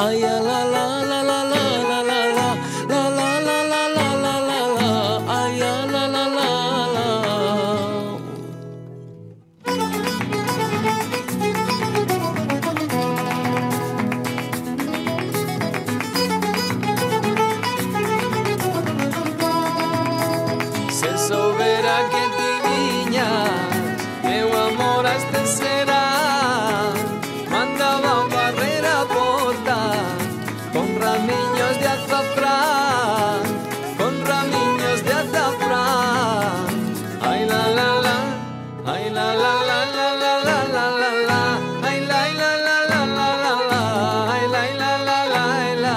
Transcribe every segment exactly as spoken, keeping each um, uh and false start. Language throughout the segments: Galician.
Ay, la la la la la la la la la la la la la la la la la. Ay, la la la la la. Se soubera que ti viñas, meu amor a este será. Mandaba barrer a porta con ramiños de azafrán, con ramiños de azafrán. Ay la la la, ay la la la la la la la la la, ay la la la la la la la, ay la la la la la.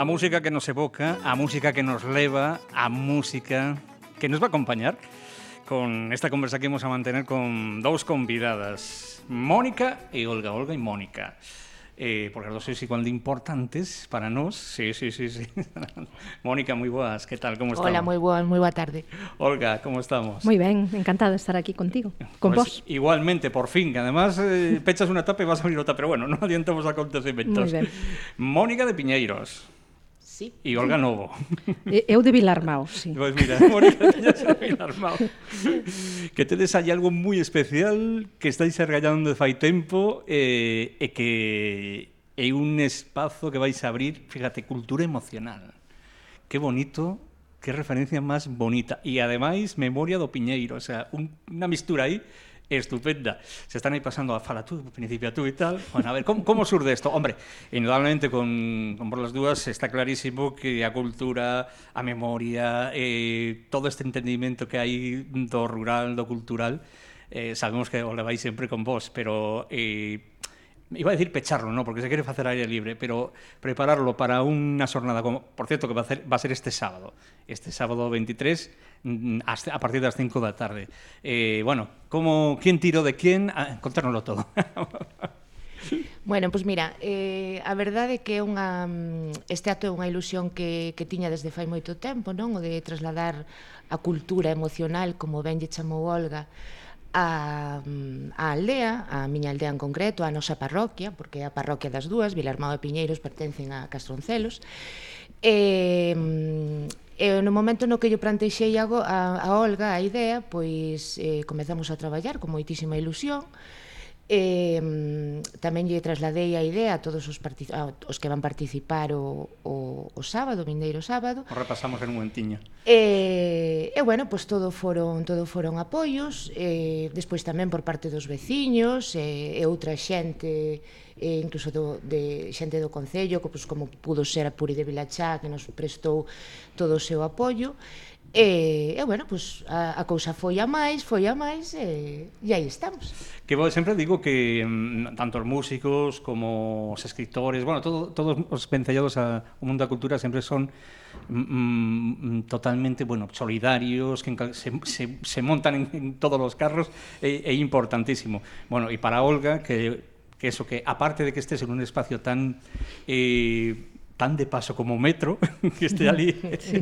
A música que nos evoca, a música que nos leva, a música que nos va a acompañar con esta conversa que vamos a mantener con dous convidadas, Mónica e Olga. Olga e Mónica. Eh, porque as dos sois igual de importantes para nós. Sí, sí, sí, sí. Mónica, moi boas, que tal, como estamos? Hola, moi boa, moi boa tarde. Olga, como estamos? Moi ben, encantada de estar aquí contigo, con pues vos. Igualmente, por fin, que además eh, pechas unha tapa e vas a abrir outra, pero bueno, non adiantamos acontecementos. Moi ben. Mónica de Piñeiros. Sí. E Olga Novo. Eu de Vilarmao, sí. Pois pues mira, Mónica Piñeiros de Vilarmao. Que tedes aí algo moi especial que estáis argallando de fai tempo eh, e que é un espazo que vais a abrir, fíjate, cultura emocional. Que bonito, que referencia máis bonita. E ademais, memoria do Piñeiro, o sea, un, unha mistura aí estupenda. Se están aí pasando a fala tú, principio tú e tal. Bueno, a ver, como, como surde isto? Hombre, indudablemente con, con por las dúas está clarísimo que a cultura, a memoria, eh, todo este entendimiento que hai do rural, do cultural, eh, sabemos que o levais sempre con vos, pero eh, iba a decir pecharlo, ¿no? Porque se quere facer aire libre, pero prepararlo para unha xornada como, por cierto, que va a, ser, va a ser este sábado, este sábado veintitrés, a partir das cinco da tarde. Eh, bueno, como, quién tirou de quién? Ah, contárnoslo todo. Bueno, pois pues mira, eh, a verdade é que é unha, este acto é unha ilusión que, que tiña desde fai moito tempo, non? O de trasladar a cultura emocional, como ben lle chamou Olga, a, a aldea, a miña aldea en concreto, a nosa parroquia, porque é a parroquia das dúas, Vilarmao e Piñeiros pertencen a Castroncelos. E, e no momento no que yo plantexei a, a, a Olga a idea, pois eh, comezamos a traballar con moitísima ilusión. E, tamén lle trasladei a idea a todos os, a, os que van participar o, o, o sábado, o vindeiro sábado. O repasamos en un momentiño. E, e bueno, pois todo foron, todo foron apoios, e despois tamén por parte dos veciños e, e outra xente, e incluso do, de xente do Concello, pois, como pudo ser a Puri de Vilachá, que nos prestou todo o seu apoio. E, e bueno, pues, a, a cousa foi a máis, foi a máis e, e aí estamos. Que vos sempre digo que mm, tanto os músicos como os escritores, bueno, todo, todos os vencellados ao mundo da cultura sempre son mm, totalmente, bueno, solidarios, que se, se, se montan en, en todos os carros, é, é importantísimo. Bueno, e para Olga, que, que eso, que aparte de que estés en un espacio tan... Eh, tan de paso como o metro, que este ali. Sí.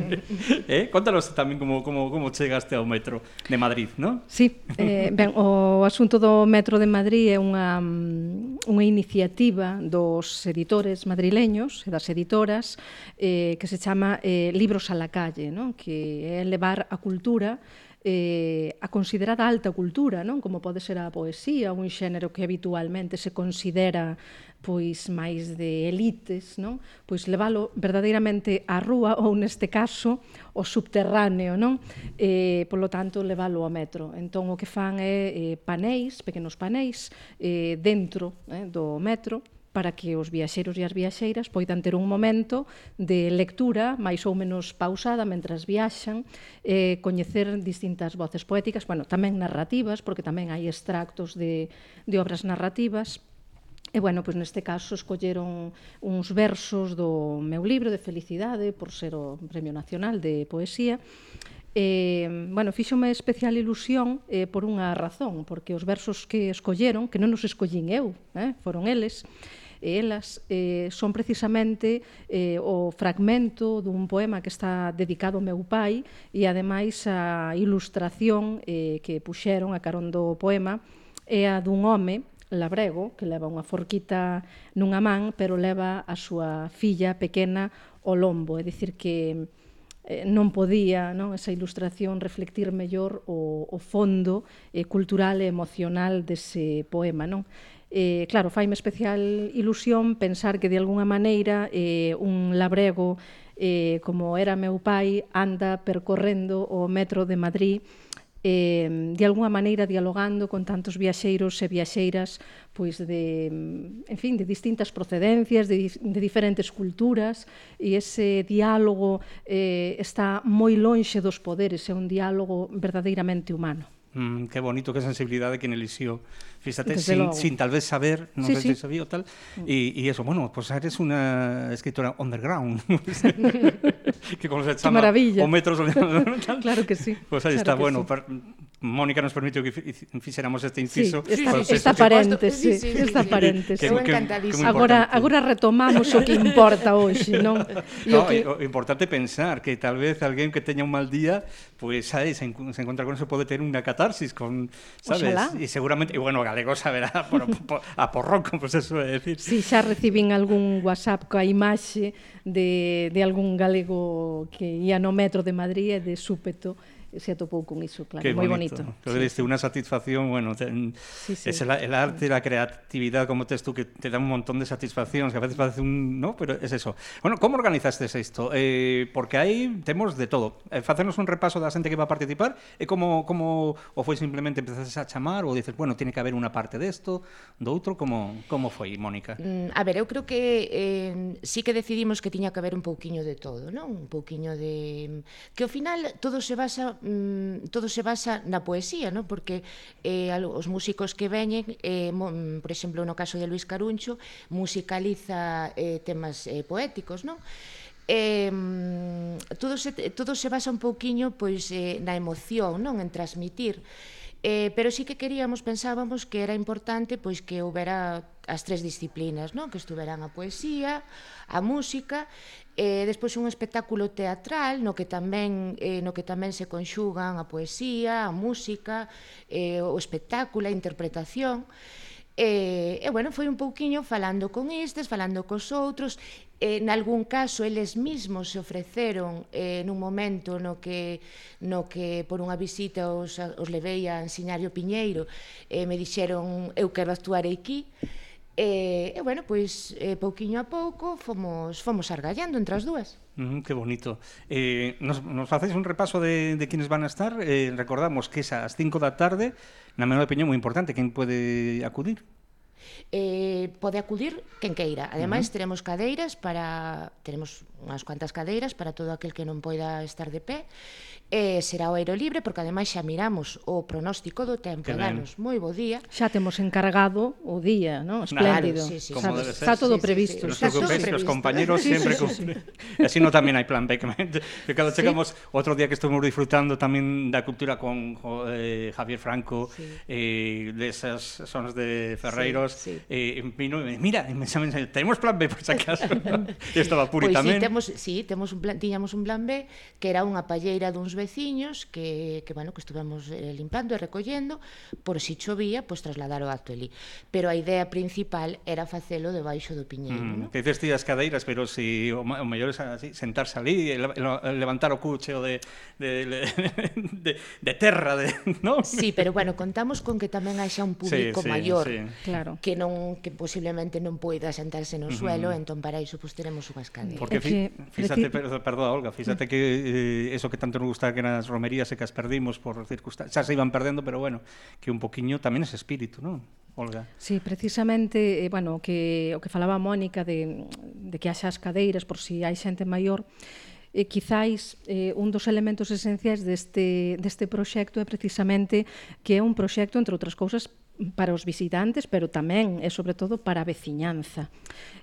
Eh? Contanos tamén como, como, como chegaste ao metro de Madrid, non? Sí, eh, ben, o asunto do metro de Madrid é unha, unha iniciativa dos editores madrileños e das editoras eh, que se chama eh, Libros a la calle, non? Que é levar a cultura eh, a considerada alta cultura, non? Como pode ser a poesía, un xénero que habitualmente se considera pois máis de elites, non? Pois leválo verdadeiramente á rúa ou neste caso ao subterráneo, non? Eh, polo tanto, leválo ao metro. Entón o que fan é eh, paneis, pequenos paneis eh, dentro eh, do metro, para que os viaxeiros e as viaxeiras poidan ter un momento de lectura máis ou menos pausada mentras viaxan, eh, coñecer distintas voces poéticas, bueno, tamén narrativas, porque tamén hai extractos de, de obras narrativas. E, bueno, pois neste caso escolleron uns versos do meu libro de Felicidade, por ser o Premio Nacional de Poesía. E, bueno, fíxome especial ilusión eh, por unha razón, porque os versos que escolleron, que non os escollín eu, eh, foron eles, e elas eh, son precisamente eh, o fragmento dun poema que está dedicado ao meu pai e, ademais, a ilustración eh, que puxeron a carón do poema é a dun home labrego, que leva unha forquita nunha man, pero leva a súa filla pequena ao lombo, é dicir que eh, non podía, non, esa ilustración reflectir mellor o, o fondo eh, cultural e emocional dese poema, non? Eh, claro, faime especial ilusión pensar que de alguna maneira eh, un labrego eh, como era meu pai anda percorrendo o metro de Madrid eh, de alguna maneira dialogando con tantos viaxeiros e viaxeiras pois de, en fin, de distintas procedencias, de, de diferentes culturas, e ese diálogo eh, está moi lonxe dos poderes, é un diálogo verdadeiramente humano. Mm, qué bonito, qué sensibilidad de quien eligió. Fíjate, Desde sin, luego. sin tal vez saber, no Sí, sé sí. si sabía o tal, y, y eso, bueno, pues eres una escritora underground, que como se llama, maravilla. o metros, tal. Claro que sí. Pues ahí claro está, que bueno, sí. per, Mónica nos permitió que fi- fixéramos este Sí, inciso. esta, Pues, esta eso, paréntese, Sí, sí, sí, esta sí. paréntese. Eu Que- que- encantadísima. que moi Agora, importante. agora retomamos o que importa hoxe, non? E o No, que... e o importante pensar que tal vez alguén que teña un mal día, pues sabes, se, encu- se encuentra con eso pode ter unha catarsis con, sabes? Oxalá. E seguramente, e bueno, o galego saberá por, por, a porroco, pues eso é decir. Si xa recibín algún WhatsApp coa imaxe de, de algún galego que ia no metro de Madrid e de súpeto se atopou con iso, claro, Qué moi bonito. Pero Sí, diste sí. una satisfacción, bueno, ten, Sí, sí. es el, el arte, la creatividad, como tes tú, que te da un montón de satisfacciones, que a veces parece un... ¿no? Pero es eso. Bueno, ¿cómo organizaste esto? Eh, porque aí temos de todo. Eh, facernos un repaso da xente que va a participar, e como, como o foi simplemente empezaste a chamar, ou dices, bueno, tiene que haber unha parte desto, do outro, como, como foi, Mónica? Mm, A ver, eu creo que eh, sí que decidimos que tiña que haber un pouquiño de todo, non? Un pouquiño de... Que ao final todo se basa mm, todo se basa na poesía, non? Porque eh, alo- os músicos que veñen, eh, mo, mm, por exemplo, no caso de Luis Caruncho, musicaliza eh, temas eh, poéticos, non? Eh, todo, se, todo se basa un pouquiño pois, eh, na emoción, non? En transmitir. Eh, pero sí que queríamos, pensábamos que era importante pois que houbera as tres disciplinas, non? Que estuveran a poesía, a música, e despois un espectáculo teatral no que tamén eh, no que tamén se conxugan a poesía, a música, eh, o espectáculo, a interpretación. E, e bueno, foi un pouquiño falando con estes, falando cos outros. En algún caso, eles mesmos se ofreceron eh, nun momento no que, no que por unha visita os, os levei a Enseñario Piñeiro, e me dixeron, eu quero actuar aquí. E, e bueno, pois, eh, pouquiño a pouco, fomos, fomos argallando entre as dúas. Mm, qué bonito. Eh, nos, nos facéis un repaso de, de quienes van a estar. Eh, recordamos que es a las cinco da tarde, na Menor de Piñón, moi importante. Quen pode acudir? Eh, pode acudir quen queira. Ademais, Uh-huh. teremos cadeiras para teremos unhas cuantas cadeiras para todo aquel que non poida estar de pé. Eh, será o aire libre, porque ademais xa miramos o pronóstico do tempo, Que ben. danos moi bo día. Xa temos encargado o día, non? Espléndido. Claro, sí, sí, Como Xa- debe ser. Está todo Sí, sí, previsto. sí. No os Está todo preocupéis, que os previsto. compañeros Sí, siempre sí, sí, cumplen. E así no tamén hai plan B, que, que cando chegamos outro día que estuvimos disfrutando tamén da cultura con jo, eh, Javier Franco, Sí. eh, desas zonas de Ferreiros, Sí, sí. eh, vino e me, mira, e me chaman, tenemos plan B por si acaso. E estaba Puri Pois tamén. sí, temos, sí, temos un plan, tiñamos un plan B, que era unha palleira duns veciños que, que, bueno, que estuvemos eh, limpando e recollendo, por si chovía, pois trasladar o acto ali. Pero a idea principal era facelo debaixo do piñeiro, Mm, non? que dices ti as cadeiras, pero si o, ma- o mellor é así, sentarse ali, e le- le- levantar o cucheo de, de, de, de, de terra, de, ¿no? Sí, pero bueno, contamos con que tamén haxa un público Sí, sí, maior sí. Claro. que non que posiblemente non poida sentarse no suelo, entón para iso pues, teremos unhas cadeiras. Porque É que, fi, fíxate, preci- per, perdón, Olga, fíxate que eh, eso que tanto nos gusta que nas romerías e que as perdimos por circunstancias, xa se iban perdendo, pero bueno, que un poquiño tamén ese espírito, non? Olga. Sí, precisamente, eh, bueno, o que, o que falaba Mónica de, de que haxa as cadeiras por si hai xente maior, eh, quizáis eh, un dos elementos esenciais deste, deste proxecto é precisamente que é un proxecto, entre outras cousas, para os visitantes, pero tamén e sobre todo para a veciñanza.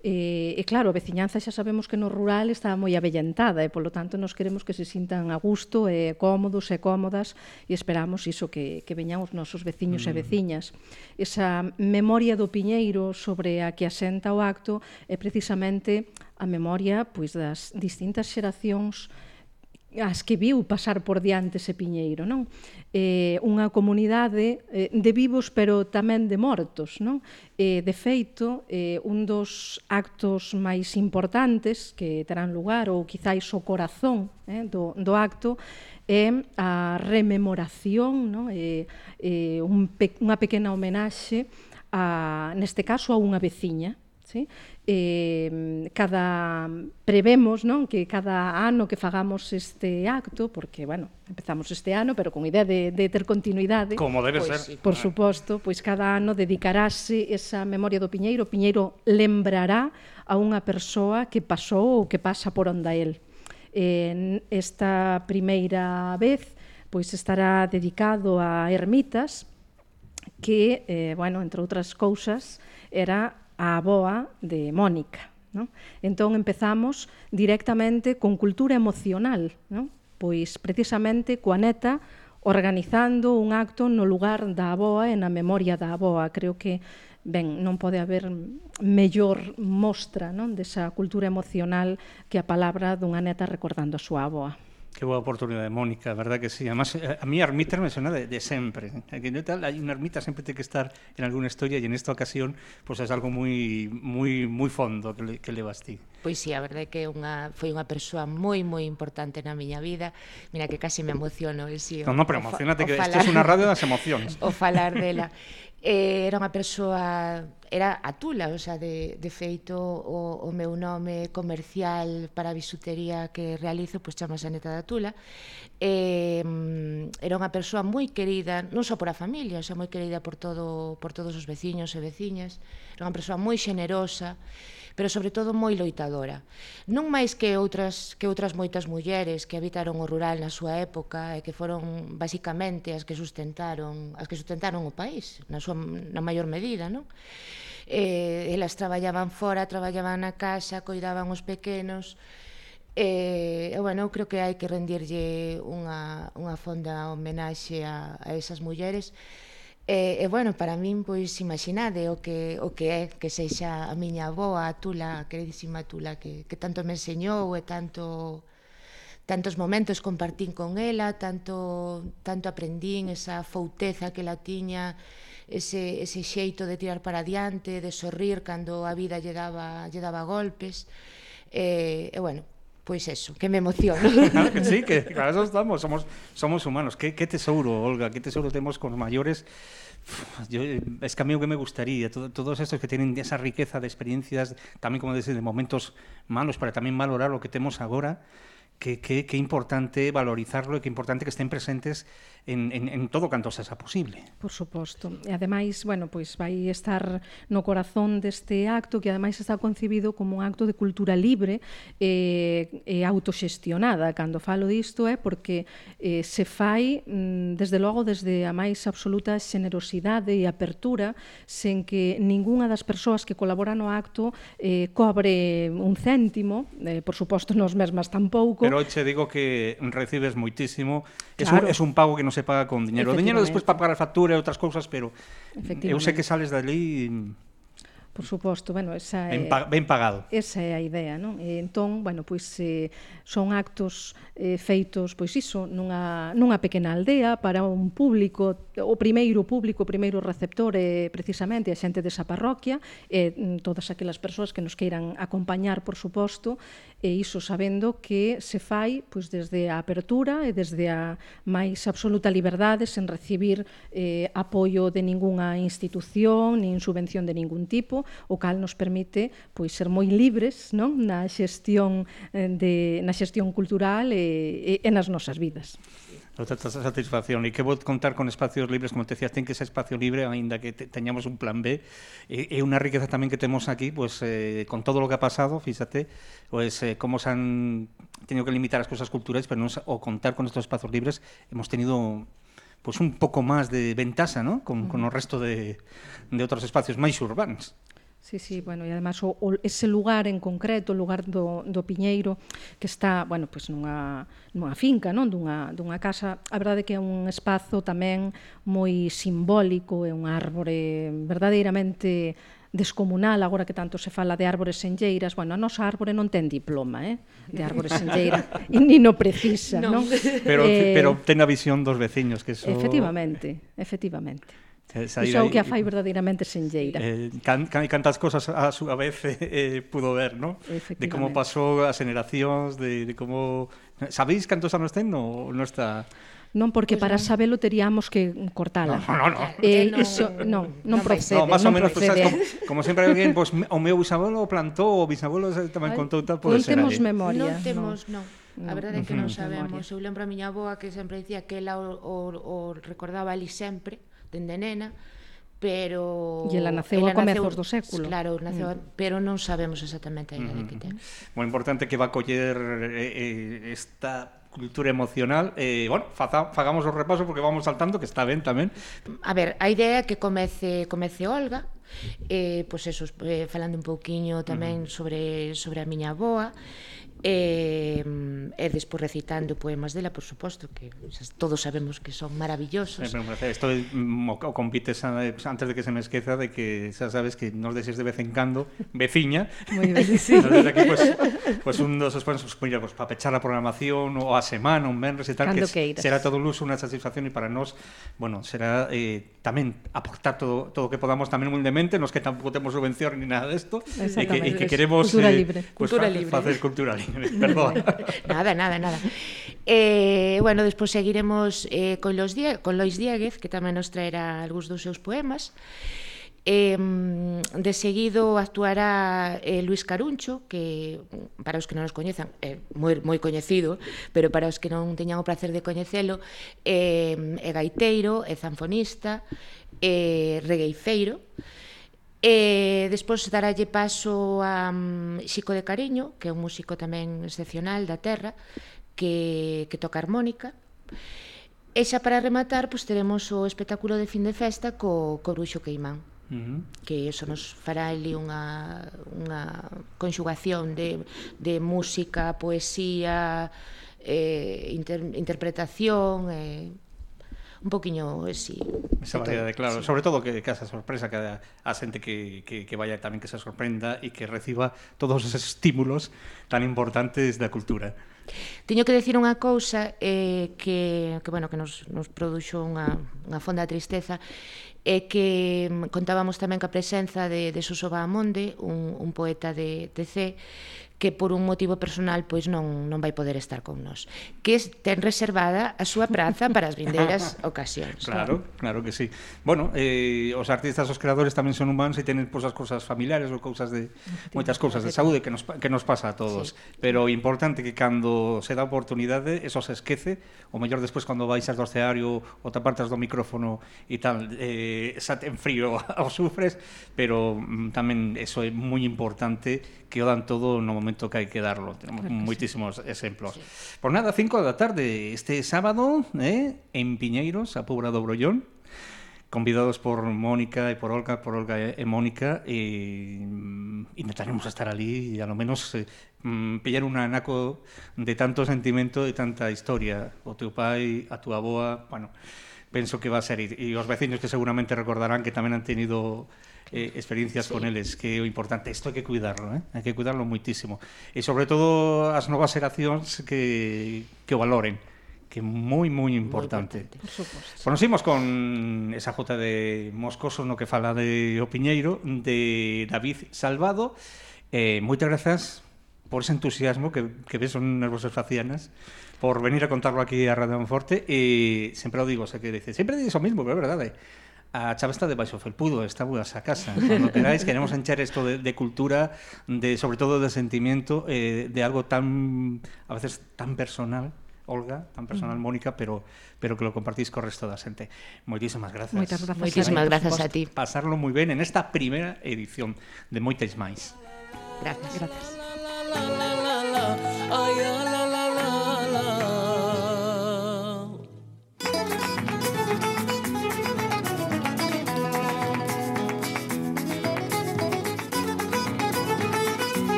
E, e claro, a veciñanza xa sabemos que no rural está moi avellentada e polo tanto nos queremos que se sintan a gusto e cómodos e cómodas e esperamos iso que, que veñan os nosos veciños mm. e veciñas. Esa memoria do Piñeiro sobre a que asenta o acto é precisamente a memoria pois, das distintas xeracións as que viu pasar por diante ese piñeiro, non? Eh, unha comunidade eh, de vivos pero tamén de mortos, non? Eh, de feito, eh, un dos actos máis importantes que terán lugar, ou quizáis o corazón eh, do, do acto, é a rememoración, non? Eh, eh, un pe unha pequena homenaxe, a, neste caso, a unha veciña, sí? Eh, cada prevemos, non, que cada ano que fagamos este acto, porque, bueno, empezamos este ano, pero con idea de, de ter continuidade, como debe Pois ser. sí. por suposto, pois cada ano dedicarase esa memoria do Piñeiro. O Piñeiro lembrará a unha persoa que pasou ou que pasa por onda el. Eh, esta primeira vez, pois estará dedicado a ermitas que, eh, bueno, entre outras cousas, era a avoa de Mónica, non? Entón empezamos directamente con cultura emocional, non? Pois precisamente coa neta organizando un acto no lugar da avoa e na memoria da avoa. Creo que, ben, non pode haber mellor mostra, non, desa cultura emocional que a palabra dunha neta recordando a súa avoa. Qué boa oportunidade, Mónica, verdad que sí. Además, a mí a ermita me suena de, de sempre. Aquí no tal, hay una ermita sempre ten que estar en alguna historia e en esta ocasión pues es algo moi moi moi fondo que le, que levas ti. Pois sí, a verdade é que unha, foi unha persoa moi, moi importante na miña vida. Mira que casi me emociono. Sí, No, no, pero o, emocionate o que falar, isto é unha radio das emocións. O falar dela. Eh, era unha persoa, era a Tula, o sea, de, de feito o, o meu nome comercial para a bisutería que realizo, pois chamase a Neta da Tula. Eh, era unha persoa moi querida, non só por a familia, o sea, moi querida por todo por todos os veciños e veciñas. Era unha persoa moi xenerosa, pero sobre todo moi loitadora. Non máis que outras que outras moitas mulleres que habitaron o rural na súa época e que foron basicamente as que sustentaron, as que sustentaron o país, na súa na maior medida, non? Eh, elas traballaban fora, traballaban na casa, coidaban os pequenos. E, eh, bueno, eu creo que hai que rendirlle unha, unha fonda homenaxe a, a esas mulleres. E, e bueno, para min, pois, imaginade o que, o que é que sexa a miña avoa, a Tula, a queridísima Tula, que, que tanto me enseñou e tanto, tantos momentos compartín con ela, tanto, tanto aprendín esa fouteza que la tiña, ese, ese xeito de tirar para adiante, de sorrir cando a vida lle daba, lle daba golpes. E, e bueno, pois eso, que me emociono. Claro que sí, que para eso estamos, somos, somos humanos. ¿Qué, qué tesouro, Olga, qué tesouro tenemos con los mayores. Yo, es que a mí lo que me gustaría, todo, todos estos que tienen esa riqueza de experiencias, también como decir, de momentos malos, para también valorar lo que tenemos ahora, que, que, que importante valorizarlo e que importante que estén presentes en, en, en todo canto sexa posible. Por suposto. E ademais, bueno, pois vai estar no corazón deste acto, que ademais está concebido como un acto de cultura libre e, e autoxestionada. Cando falo disto é porque eh, se fai, desde logo, desde a máis absoluta xenerosidade e apertura, sen que ningunha das persoas que colabora no acto eh, cobre un céntimo, eh, por suposto nos mesmas tampouco. Pero che digo que recibes moitísimo, es, claro. un, es un pago que non se paga con dinero. O dinero despois para pagar factura e outras cousas, pero eu sei que sales dali. Por suposto, bueno, esa é, ben, pa, ben pagado. Esa é a idea, non? E entón, bueno, pois eh, son actos eh, feitos, pois iso, nunha, nunha pequena aldea para un público, o primeiro público, o primeiro receptor é precisamente a xente desa parroquia e todas aquelas persoas que nos queiran acompañar, por suposto, e iso sabendo que se fai pois desde a apertura e desde a máis absoluta liberdade, sen recibir eh, apoio de ningunha institución, nin subvención de ningún tipo, o cal nos permite pois ser moi libres, non, na xestión de na xestión cultural e, e nas nosas vidas. Outra satisfacción, e que vou contar con espacios libres, como te decías, ten que ser espacio libre, aínda que te, teñamos un plan B, e, e unha riqueza tamén que temos aquí, pues, eh, con todo lo que ha pasado, fíxate, pues, eh, como se han tenido que limitar as cousas culturales, pero non, o contar con estos espacios libres, hemos tenido pues un pouco máis de ventaxa, ¿no? Con, con o resto de, de outros espacios máis urbanos. Sí, sí, bueno, e además o, o, ese lugar en concreto, o lugar do, do Piñeiro, que está, bueno, pois nunha, nunha finca, non? Dunha, dunha casa, a verdade que é un espazo tamén moi simbólico, é unha árbore verdadeiramente descomunal, agora que tanto se fala de árbores senlleiras. Bueno, a nosa árbore non ten diploma, eh, de árbore senlleira, e ni no precisa, non? Pero, Eh, pero ten a visión dos veciños, que eso... Efectivamente, efectivamente. Saír Iso é o aí- que a fai verdadeiramente senlleira. Eh, can, can, cantas cosas a súa vez eh, eh, pudo ver, ¿no? De como Efectivamente. pasou as generacións, de, de como... Sabéis cantos anos ten ou non está... Non, porque Pois para non. sabelo teríamos que cortala. No, no, no. Eh, Eh, non- iso, non, non non vai procede, No, máis ou non menos, pues, procede. sabes, como, como sempre alguén, pues, me- o meu bisabuelo plantou, o bisabuelo tamén Ai, contou tal, non pode ser temos aí. memoria. Non temos, non. A Non, verdade é que non non temos sabemos. memoria. Eu lembro a miña avoa que sempre dicía que ela o, o, o recordaba ali sempre, dende nena, pero... E ela naceu a comezos do século. Claro, naceu, mm. pero non sabemos exactamente a idade que ten. Moi importante que va a coller eh, eh, esta cultura emocional. Eh, bueno, faza, fagamos o repaso porque vamos saltando, que está ben tamén. A ver, a idea é que comece comece Olga, eh, pois eso, eh, falando un pouquiño tamén uh-huh. sobre sobre a miña avoa, e, e despois recitando poemas dela, por suposto, que todos sabemos que son maravillosos. Sempre un placer. Esto mm, o convites a, antes de que se me esqueza de que xa sabes que nos deses de vez en cando veciña. Moi ben, sí. Nos desde aquí, pues, pues un dos pues, pues, mira, pues, para pechar a programación o a semana, un venres e tal, Cando que queiras. será todo un luso, unha satisfacción, e para nós, bueno, será eh, tamén aportar todo todo o que podamos tamén humildemente, nos que tampouco temos subvención ni nada desto, e que, e que queremos Cultura eh, libre. pues, Cultura fa- libre. facer cultura libre. Perdón. Nada, nada, nada. Eh, bueno, despois seguiremos eh, con, los Die con Lois Dieguez, que tamén nos traerá algúns dos seus poemas. Eh, de seguido actuará eh, Luis Caruncho, que para os que non os coñezan é moi, moi coñecido, pero para os que non teñan o placer de coñecelo, eh, é gaiteiro, é zanfonista, é regueifeiro. E despois daralle paso a um, Xico de Cariño, que é un músico tamén excepcional da terra, que, que toca armónica. E xa para rematar, pois teremos o espectáculo de fin de festa co, co Bruxo Queimán, Uh-huh. que eso nos fará ali unha, unha conxugación de, de música, poesía, eh, inter, interpretación, eh, un poquinho así. Esa variedade, claro. Sí. Sobre todo que, que esa sorpresa, que a, a xente que, que, que vaya tamén que se sorprenda e que reciba todos esos estímulos tan importantes da cultura. Teño que decir unha cousa eh, que, que, bueno, que nos, nos produxo unha, unha fonda tristeza, é que contábamos tamén ca presenza de, de Suso Bahamonde, un, un poeta de T C, que por un motivo personal pois non, non vai poder estar con nós, que ten reservada a súa praza para as vindeiras ocasións. Claro, claro que sí. Bueno, eh, os artistas, os creadores tamén son humanos e tenen pues, as cousas familiares ou cousas de moitas cousas de saúde que nos, que nos pasa a todos. Sí. Pero importante que cando se dá oportunidade, eso se esquece, o mellor despois cando baixas do escenario ou te apartas do micrófono e tal, eh, xa ten frío o sufres, pero mm, tamén eso é moi importante, que o dan todo no momento que hai que darlo. Tenemos Claro que moitísimos sí. exemplos. Sí. Por nada, cinco da tarde, este sábado, eh, en Piñeiros, a Pobra do Brollón, convidados por Mónica e por Olga, por Olga e Mónica, e mm, intentaremos estar ali e a lo menos eh, mm, pillar un anaco de tanto sentimento e tanta historia. O teu pai, a túa aboa, bueno, penso que va a ser, e os vecinos que seguramente recordarán que tamén han tenido eh, experiencias sí. con eles, que é o importante, isto hai que cuidarlo, eh? hai que cuidarlo moitísimo, e sobre todo as novas xeracións que, que o valoren, que é moi, moi importante. Por suposto. Bueno, seguimos con esa jota de Moscoso no que fala de O Piñeiro, de David Salvado. Eh, moitas grazas por ese entusiasmo que, que ves son nas vosas facianas, por venir a contarlo aquí a Radio Monforte, e sempre o digo, sei que dice, sempre dices o mismo, pero é verdade. A chave está debaixo felpudo, está boas a casa. Cando queráis, queremos encher isto de, de cultura, de sobre todo de sentimiento, eh, de algo tan, a veces, tan personal, Olga, tan personal, Mónica, pero pero que lo compartís co resto da xente. Moitísimas grazas. Moitas grazas. Moitísimas grazas a ti. Pasarlo moi ben en esta primeira edición de Moitas máis. Gracias. Gracias.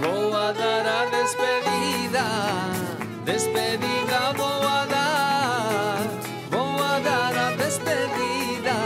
Vou a dar a despedida, despedida vou a dar, vou a dar a despedida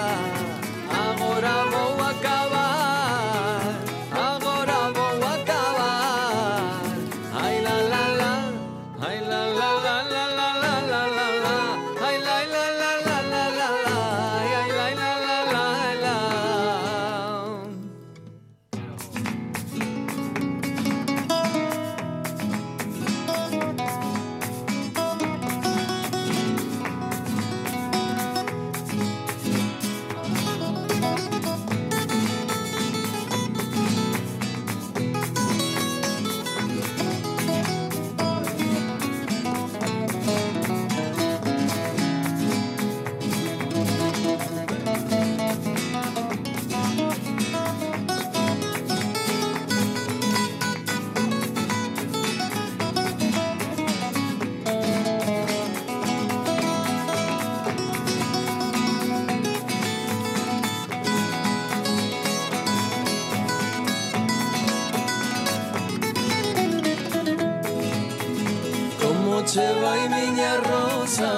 che vai miña rosa,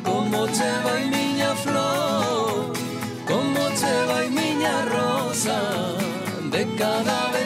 como che vai miña flor, como che vai miña rosa, de cada vez